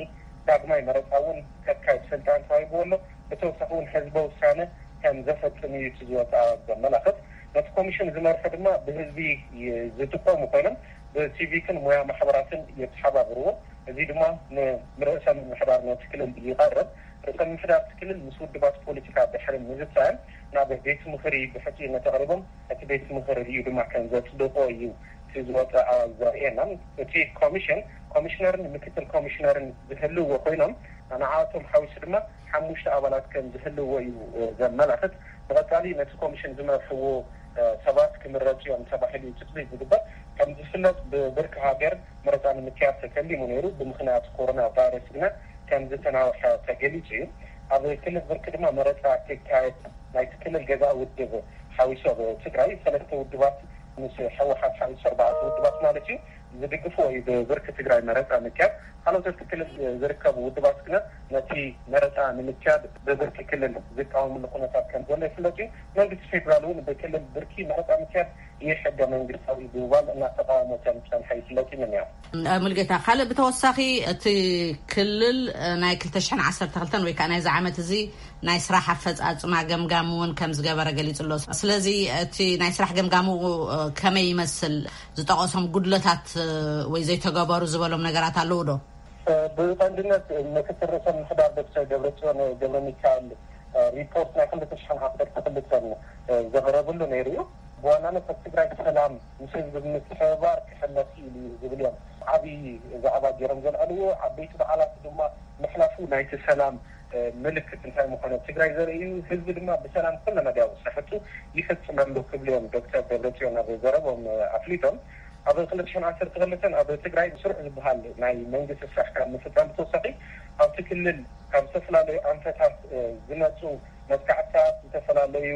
ዳግማይ መረፃ እውን ከካይድ ስልጣን ተዋሂብዎ ኣሎ። ብተወሳኺ እውን ህዝበ ውሳነ ከም ዘፈፅም እዩ እቲ ዝወፀ ኣዋጅ ዘመላኽት። ነቲ ኮሚሽን ዝመርሑ ድማ ብህዝቢ ዝጥቀሙ ኮይኖም ብሲቪክን ሙያ ማሕበራትን የተሓባብርዎ። እዚ ድማ ንርእሰ ምምሕዳር ነቲ ክልል ይቐርብ። ርእሰ ምምሕዳር እቲ ክልል ምስ ውድባት ፖለቲካ ድሕሪ ምዝታይን ናብ ቤት ምኽሪ ብሕጽይነት ኣቕሪቦም እቲ ቤት ምኽሪ ሪኡ ድማ ከም ዘጽድቆ እዩ እቲ ዝወፀ ኣዋጅ ዘርእየና። እቲ ኮሚሽን ኮሚሽነርን ምክትል ኮሚሽነርን ዝህልዎ ኮይኖም ንዓቶም ሓዊሱ ድማ ሓሙሽተ ኣባላት ከም ዝህልዎ እዩ ዘመላኽት። ብቐጻሊ ነቲ ኮሚሽን ዝመርሕዎ ሰባት ክምረፁ እዮም ተባሂሉ እዩ ትፅቢት ዝግበር። ከም ዝፍለጥ ብብርኪ ሃገር መረፃ ንምክያድ ተተሊሙ ነይሩ። ብምኽንያት ኮሮና ቫይረስ ግና ከም ዝተናውሐ ተገሊፁ እዩ። ኣብ ክልል ብርኪ ድማ መረፃ ክካየድ ናይቲ ክልል ገዛእ ውድብ ሓዊሱ ኣብ ትግራይ ሰለስተ ውድባት ምስ ህወሓት ሓዊሱ ኣርባዕተ ውድባት ማለት እዩ ዝድግፍዎ እዩ ብብርኪ ትግራይ መረፃ ምክያድ። ካልኦት ኣብቲ ክልል ዝርከቡ ውድባት ግና ነቲ መረፃ ንምክያድ ብብርኪ ክልል ዝቃወምሉ ኩነታት ከም ዘሎ ይፍለጥ እዩ። መንግስቲ ፌዴራል እውን ብክልል ብርኪ መረፃ ምክያድ ይሕገ መንግስታዊ ብምባል እናተቃወሞ ከም ዝፀንሐ ይፍለጥ እዩ። ምንያ ሙልጌታ፣ ካልእ ብተወሳኺ እቲ ክልል ናይ ክልተ ሽሕን ዓሰርተ ክልተን ወይ ከዓ ናይዚ ዓመት እዚ ናይ ስራሕ ኣፈፃፅማ ገምጋም እውን ከም ዝገበረ ገሊፁ ኣሎ። ስለዚ እቲ ናይ ስራሕ ገምጋሙ ከመይ ይመስል? ዝጠቐሶም ጉድለታት ወይ ዘይተገበሩ ዝበሎም ነገራት ኣለዉ ዶ? ብቐንድነት ምክትል ርእሰ ምምሕዳር ዶክተር ደብረፅዮን ገብረ ሚካኤል ሪፖርት ናይ ክልተ ሽሕን ዓሰርተ ክልተን ዘቕረብሉ ነይሩ እዩ። ብዋናነት ኣብ ትግራይ ሰላም ምስ ህዝቢ ብምትሕብባር ክሕለፍ ኢሉ እዩ ዝብል እዮም ዓብዪ ዛዕባ ገይሮም ዘልዓልዎ። ዓበይቲ በዓላት ድማ ምሕላፉ ናይቲ ሰላም ምልክት እንታይ ምዃኑ ኣብ ትግራይ ዘርኢ እዩ። ህዝቢ ድማ ብሰላም ኩለ መዳያዊ ስራሕቱ ይፍፅም ኣሎ ክብሉ እዮም ዶክተር ደብረፅዮን ኣብ ዘረቦም ኣፍሊጦም። ኣብ ክልተ ሽሕን ዓሰርተ ክልተን ኣብ ትግራይ ስሩዕ ዝበሃል ናይ መንግስቲ ስራሕ ካብ ምፍፃም ብተወሳኺ ኣብቲ ክልል ካብ ዝተፈላለዩ ኣንፈታት ዝመፁ መጥቃዕትታት ዝተፈላለዩ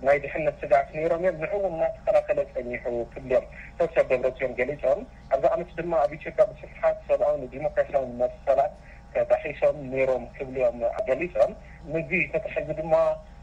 ናይ ድሕነት ስግኣት ነይሮም እዮም። ንዕኡ እውን እናተኸላኸለ ፀኒሑ ክብሉ እዮም ዶክተር ደብረፅዮን ገሊፆም። ኣብዚ ዓመት ድማ ኣብ ኢትዮጵያ ብስፍሓት ሰብኣውን ዲሞክራሲያውን መሰላት ተጣሒሶም ነይሮም ክብሉ እዮም ገሊፆም። ምግቢ ተታሒዙ ድማ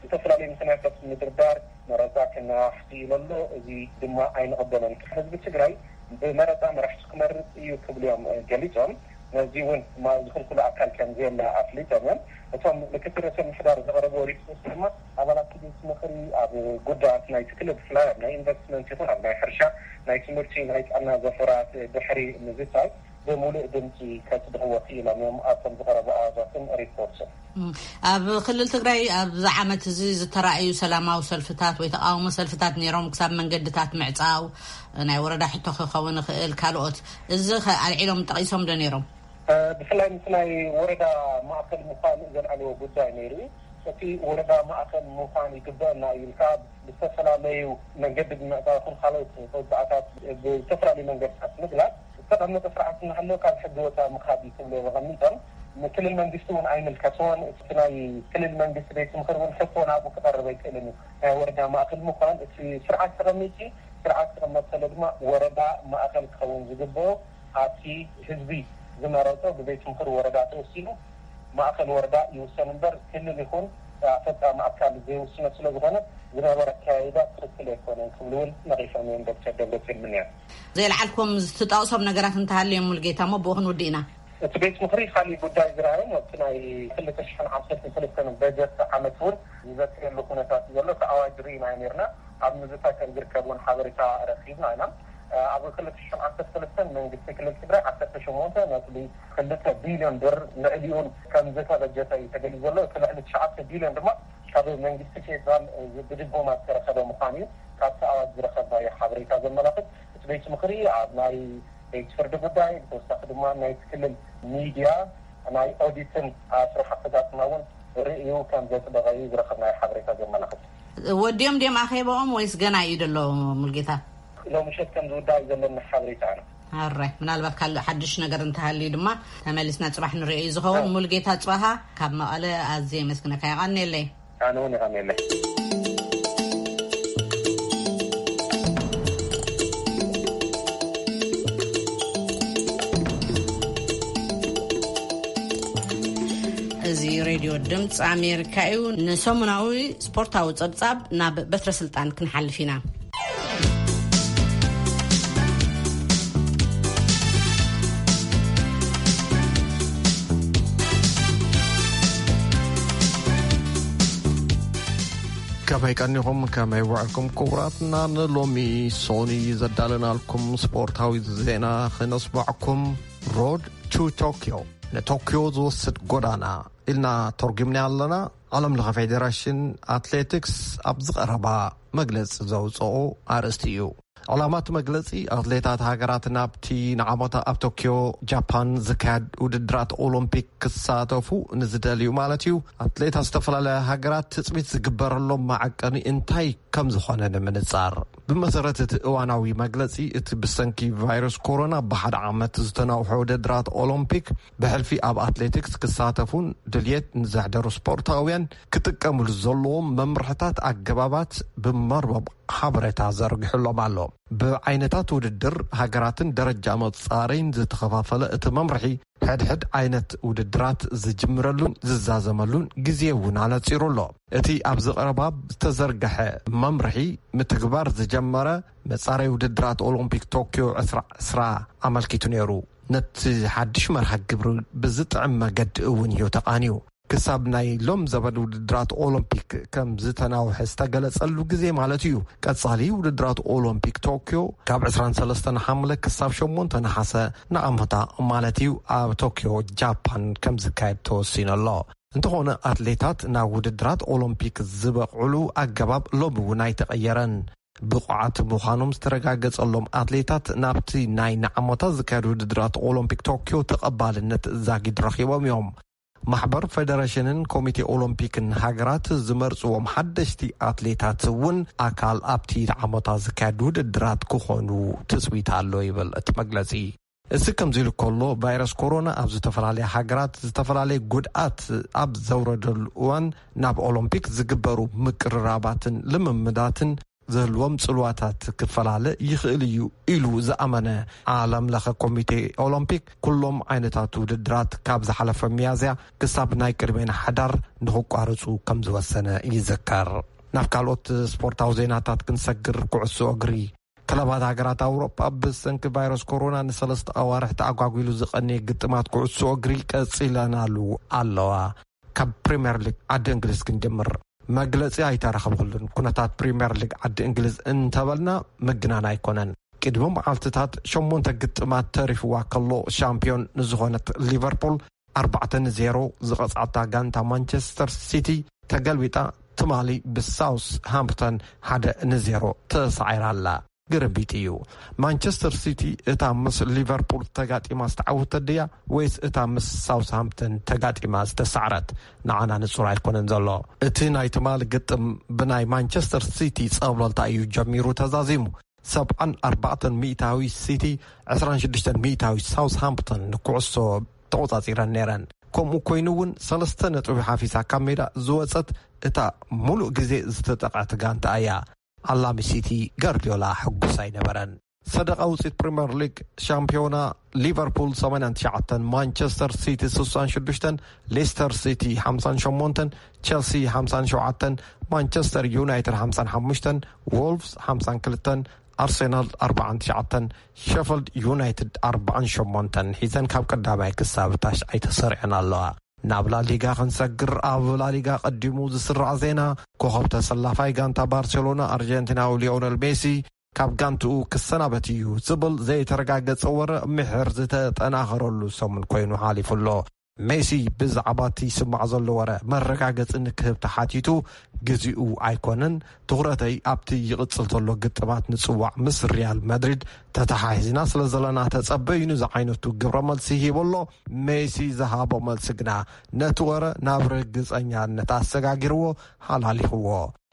ዝተፈላለዩ ምኽንያታት ምድርዳር መረፃ ክነዋሕ ክኢሉ ኣሎ። እዚ ድማ ኣይንቕበሎን። ህዝቢ ትግራይ ብመረፃ መራሕቱ ክመርፅ እዩ ክብሉ እዮም ገሊፆም። ነዚ እውን ዝኽልክሉ ኣካል ከም ዘየለ ኣፍሊጦም እዮም። እቶም ምክትል ርእሰ ምምሕዳር ዘቕረብዎ ሪፖርት ድማ ኣባላት ቤት ምኽሪ ኣብ ጉዳያት ናይቲ ክልል ብፍላይ ኣብ ናይ ኢንቨስትመንት ይኹን ኣብ ናይ ሕርሻ፣ ናይ ትምህርቲ፣ ናይ ጥዕና ዘፈራት ድሕሪ ምዝታይ ብምሉእ ድምፂ ከፅድቕዎ ክኢሎም እዮም ኣብቶም ዝቐረቡ ኣዋጃትን ሪፖርትን። ኣብ ክልል ትግራይ ኣብዚ ዓመት እዚ ዝተራእዩ ሰላማዊ ሰልፍታት ወይ ተቃውሞ ሰልፍታት ነይሮም፣ ክሳብ መንገድታት ምዕፃው፣ ናይ ወረዳ ሕቶ ክኸውን ይኽእል፣ ካልኦት፣ እዚ ከ ኣልዒሎም ጠቒሶም ዶ ነይሮም? ብፍላይ ምስ ናይ ወረዳ ማእከል ምዃን ዘልዓልዎ ጉዳይ ነይሩ እዩ። እቲ ወረዳ ማእከል ምዃን ይግበአና እዩ ኢልካ ብዝተፈላለዩ መንገዲ ብምዕፃው ይኹን ካልኦት ተወፅኣታት ብዝተፈላለዩ መንገድታት ምግላፅ ዝተቐመጠ ስርዓት እናሃለወ ካብ ሕጊ ወፃኢ ምኻድ እዩ ክብሉ እዮም ኣቐሚጦም። ንክልል መንግስቲ እውን ኣይምልከቶን። እቲ ናይ ክልል መንግስቲ ቤት ምኽሪ እውን ሕቶ ናብኡ ክቐርብ ኣይክእልን እዩ። ናይ ወረዳ ማእከል ምዃን እቲ ስርዓት ተቐሚጡ፣ ስርዓት ክቕመጥ ከሎ ድማ ወረዳ ማእከል ክኸውን ዝግብኦ ኣብቲ ህዝቢ ዝመረፆ ብቤት ምኽሪ ወረዳ ተወሲኑ ማእከል ወረዳ ይውሰን እምበር ክልል ይኹን ኣፈፃሚ ኣካል ዘይውስኖ ስለዝኾነ ዝነበረ ኣካያይዳ ትኽክል ኣይኮነን ክብሉ እውን ነቒፎም እዮም ዶክተር ደብረፅዮን ምንያም። ዘየልዓልኩም ዝትጠቕሶም ነገራት እንተሃልዮም ሙልጌታ እሞ ብኡ ክንውድእ ኢና። እቲ ቤት ምኽሪ ካሊእ ጉዳይ ዝረኣዮም ኣብቲ ናይ ክልተ ሽሕን ዓሰርተ ክልተን በጀት ዓመት እውን ዝዘትየሉ ኩነታት እዩ ዘሎ። እቲ ኣዋጅ ርኢና ነይርና ኣብ ምዝታይ ከም ዝርከብ እውን ሓበሬታ ረኺብና ኢና። ኣብ ክልተ ሽሕን ዓሰርተ ክልተን መንግስቲ ክልል ትግራይ ዓሰርተ ሸሞንተ ነጥቢ ክልተ ቢልዮን ብር ልዕሊኡን ከም ዝተበጀተ እዩ ተገሊጹ ዘሎ። እቲ ልዕሊ ትሽዓተ ቢልዮን ድማ ካብ መንግስቲ ፌዴራል ብድጎማ ዝተረኸበ ምዃኑ እዩ ካብቲ ኣዋጅ ዝረኸብናዮ ሓበሬታ ዘመላኽት። እቲ ቤት ምኽሪ ኣብ ናይ ቤት ፍርዲ ጉዳይ ብተወሳኺ ድማ ናይ ክልል ሚድያ ናይ ኦዲትን ስራሕ ኣፈፃፅማ እውን ርእዩ ከም ዘፅደቐ እዩ ዝረኸብናዮ ሓበሬታ ዘመላኽት። ወዲኦም ድዮም ኣኼባኦም ወይስ ገና እዩ ዘሎ? ሙልጌታ፣ ሎምሸት ከም ዝውዳእ እዩ ዘለኒ ሓበሬታ። ኣነ ኣራይ ምናልባት ካልእ ሓድሽ ነገር እንተሃልዩ ድማ ተመሊስና ፅባሕ ንሪኦ እዩ ዝኸውን። ሙልጌታ ፅባሃ ካብ መቐለ ኣዝየ የመስግነካ። የቐንየለይ። ኣነ እውን የቐንየለይ። እዚ ሬድዮ ድምፂ ኣሜሪካ እዩ። ንሰሙናዊ ስፖርታዊ ጸብጻብ ናብ በትረ ስልጣን ክንሓልፍ ኢና። ከመይ ቀኒኹም፣ ከመይ ውዕልኩም ክቡራትና? ንሎሚ ሶኒ ዘዳለናልኩም ስፖርታዊ ዜና ክነስማዕኩም። ሮድ ቱ ቶክዮ፣ ንቶክዮ ዝወስድ ጎዳና ኢልና ተርጉምና ኣለና። ዓለም ለኸ ፌዴሬሽን ኣትሌቲክስ ኣብ ዝቐረባ መግለጺ ዘውፅኦ ኣርእስቲ እዩ። ዕላማ እቲ መግለጺ፣ ኣትሌታት ሃገራት ናብቲ ንዓመታ ኣብ ቶክዮ ጃፓን ዝካየድ ውድድራት ኦሎምፒክ ክሳተፉ ንዝደልዩ ማለት እዩ፣ ኣትሌታት ዝተፈላለያ ሃገራት ትጽቢት ዝግበረሎም መዐቀኒ እንታይ ከም ዝኾነ ንምንጻር። ብመሰረት እቲ እዋናዊ መግለጺ፣ እቲ ብሰንኪ ቫይረስ ኮሮና ብሓደ ዓመት ዝተናውሐ ውድድራት ኦሎምፒክ ብሕልፊ ኣብ ኣትሌቲክስ ክሳተፉን ድልየት ንዘሕደሩ ስፖርታውያን ክጥቀምሉ ዘለዎም መምርሕታት ኣገባባት ብመርበብ ሓበሬታ ዘርጊሑሎም ኣሎ። ብዓይነታት ውድድር፣ ሃገራትን ደረጃ መጻረይን ዝተኸፋፈለ እቲ መምርሒ፣ ሕድሕድ ዓይነት ውድድራት ዝጅምረሉን ዝዛዘመሉን ግዜ እውን ኣነጺሩ ኣሎ። እቲ ኣብዚ ቀረባ ዝተዘርግሐ መምርሒ፣ ምትግባር ዝጀመረ መጻረይ ውድድራት ኦሎምፒክ ቶክዮ ዕስራ ዕስራ ኣመልኪቱ ነይሩ። ነቲ ሓድሽ መርሃ ግብሪ ብዝጥዕም መገዲ እውን እዩ ተቓንዩ። ክሳብ ናይ ሎም ዘበን ውድድራት ኦሎምፒክ ከም ዝተናውሐ ዝተገለጸሉ ግዜ ማለት እዩ። ቀጻሊ ውድድራት ኦሎምፒክ ቶክዮ ካብ ዕስራን ሰለስተን ሓምለ ክሳብ ሸሞንተ ነሓሰ ንዓመታ ማለት እዩ፣ ኣብ ቶክዮ ጃፓን ከም ዝካየድ ተወሲኑ ኣሎ። እንተኾነ፣ ኣትሌታት ናብ ውድድራት ኦሎምፒክ ዝበቕዕሉ ኣገባብ ሎም እውን ኣይተቐየረን። ብቑዓት ምዃኖም ዝተረጋገጸሎም ኣትሌታት ናብቲ ናይ ንዓመታ ዝካየድ ውድድራት ኦሎምፒክ ቶክዮ ተቐባልነት ዛጊድ ረኺቦም እዮም። ማሕበር ፌደሬሽንን ኮሚቴ ኦሎምፒክን ሃገራት ዝመርጽዎም ሓደሽቲ ኣትሌታት እውን ኣካል ኣብቲ ንዓመታ ዝካየድ ውድድራት ክኾኑ ትጽቢት ኣሎ ይብል እቲ መግለጺ። እዚ ከምዚ ኢሉ ከሎ፣ ቫይረስ ኮሮና ኣብ ዝተፈላለያ ሃገራት ዝተፈላለየ ጉድኣት ኣብ ዘውረደሉ እዋን፣ ናብ ኦሎምፒክ ዝግበሩ ምቅርራባትን ልምምዳትን ዝህልዎም ጽልዋታት ክፈላለ ይኽእል እዩ ኢሉ ዝኣመነ ዓለም ለኸ ኮሚቴ ኦሎምፒክ፣ ኩሎም ዓይነታት ውድድራት ካብ ዝሓለፈ ሚያዝያ ክሳብ ናይ ቅድሜና ሓዳር ንኽቋርጹ ከም ዝወሰነ ይዝከር። ናብ ካልኦት ስፖርታዊ ዜናታት ክንሰግር፣ ኩዕሶ እግሪ። ክለባት ሃገራት ኣውሮጳ ብሰንኪ ቫይረስ ኮሮና ንሰለስተ ኣዋርሕ ተኣጓጒሉ ዝቐነየ ግጥማት ኩዕሶ እግሪ ቀጺለናሉ ኣለዋ። ካብ ፕሪምየር ሊግ ዓዲ እንግሊዝ ክንጀምር። መግለጺ ኣይተረኸብኩሉን። ኩነታት ፕሪምየር ሊግ ዓዲ እንግሊዝ እንተበልና ምግናን ኣይኮነን። ቅድሚ መዓልትታት ሸሞንተ ግጥማት ተሪፍዋ ከሎ፣ ሻምፒዮን ንዝኾነት ሊቨርፑል ኣርባዕተ ንዜሮ ዝቐጽዓታ ጋንታ ማንቸስተር ሲቲ ተገልቢጣ፣ ትማሊ ብሳውስ ሃምፕተን ሓደ ንዜሮ ተሳዒራ ኣላ። ግርምቢጥ እዩ። ማንቸስተር ሲቲ እታ ምስ ሊቨርፑል ተጋጢማ ዝተዓወተት ድያ፣ ወይስ እታ ምስ ሳውስሃምፕተን ተጋጢማ ዝተሳዕረት? ንዓና ንጹር ኣይኮነን ዘሎ። እቲ ናይ ትማሊ ግጥም ብናይ ማንቸስተር ሲቲ ጸብለልታ እዩ ጀሚሩ ተዛዚሙ። ሰብዓን ኣርባዕተን ሚእታዊ ሲቲ፣ ዕስራን ሽዱሽተን ሚእታዊ ሳውስሃምፕተን ንኩዕሶ ተቖጻጺረን ነይረን። ከምኡ ኮይኑ እውን፣ ሰለስተ ነጥቢ ሓፊሳ ካብ ሜዳ ዝወጸት እታ ሙሉእ ግዜ ዝተጠቕዐት ጋንታ እያ። ኣላሚ ሲቲ ጋርዲዮላ ሕጉስ ኣይነበረን። ሰደቓ ውፅኢት ፕሪምየር ሊግ፣ ሻምፒዮና፣ ሊቨርፑል ሰማንያን ትሽዓተን፣ ማንቸስተር ሲቲ ስሳን ሽዱሽተን፣ ሌስተር ሲቲ ሓምሳን ሸሞንተን፣ ቸልሲ ሓምሳን ሸውዓተን፣ ማንቸስተር ዩናይትድ ሓምሳን ሓሙሽተን፣ ዎልፍስ ሓምሳን ክልተን፣ ኣርሴናል ኣርባዓን ትሽዓተን፣ ሸፈልድ ዩናይትድ ኣርባዓን ሸሞንተን ሒዘን ካብ ቀዳማይ ክሳብ ታሽዓይ ተሰሪዐን ኣለዋ። ናብ ላሊጋ ክንሰግር፣ ኣብ ላሊጋ ቀዲሙ ዝስራዕ ዜና፣ ኮኸብ ተሰላፋይ ጋንታ ባርሴሎና ኣርጀንቲናዊ ሊዮነል ሜሲ ካብ ጋንትኡ ክሰናበት እዩ ዝብል ዘይተረጋገጸ ወረ ምሕር ዝተጠናኸረሉ ሰሙን ኮይኑ ሓሊፉ ኣሎ። ሜሲ ብዛዕባ እቲ ይስማዕ ዘሎ ወረ መረጋገጺ ንክህብ ተሓቲቱ፣ ግዜኡ ኣይኮነን፣ ትኹረተይ ኣብቲ ይቕጽል ዘሎ ግጥማት ንጽዋዕ ምስ ሪያል ማድሪድ ተተሓሒዝና ስለ ዘለና ተጸበዩኒ ዝዓይነቱ ግብረ መልሲ ሂቡ ኣሎ። ሜሲ ዝሃቦ መልሲ ግና ነቲ ወረ ናብ ርግጸኛነት ኣሰጋጊርዎ፣ ሓላሊኽዎ።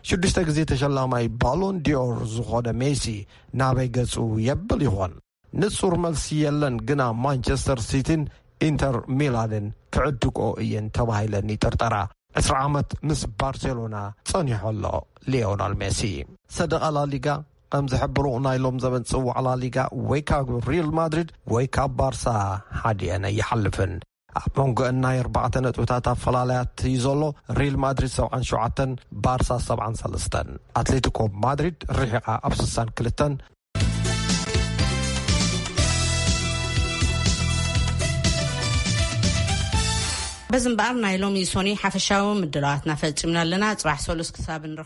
ሽዱሽተ ግዜ ተሸላማይ ባሎን ዲዮር ዝኾነ ሜሲ ናበይ ገጹ የብል ይኾን? ንጹር መልሲ የለን፣ ግና ማንቸስተር ሲቲን ኢንተር ሚላንን ክዕድግኦ እየን ተባሂለን ይጥርጠራ። ዕስራ ዓመት ምስ ባርሴሎና ጸኒሑ ኣሎ ሊዮናል ሜሲ። ሰደቓ ላሊጋ ከም ዝሕብሮ፣ ናይ ሎም ዘበን ጽዋዕ ላሊጋ ወይ ካብ ሪል ማድሪድ ወይ ካብ ባርሳ ሓዲአን ኣይሓልፍን። ኣብ መንጎ ናይ ኣርባዕተ ነጥብታት ኣፈላላያት እዩ ዘሎ። ሪል ማድሪድ ሰብዓን ሸውዓተን፣ ባርሳ ሰብዓን ሰለስተን። ኣትሌቲኮ ማድሪድ ርሒቓ ኣብ ስሳን ክልተን። በዚ እምበኣር ናይ ሎሚ ሶኒ ሓፈሻዊ ምድላዋትና ፈጺምና ኣለና። ጽባሕ ሰሉስ ክሳብ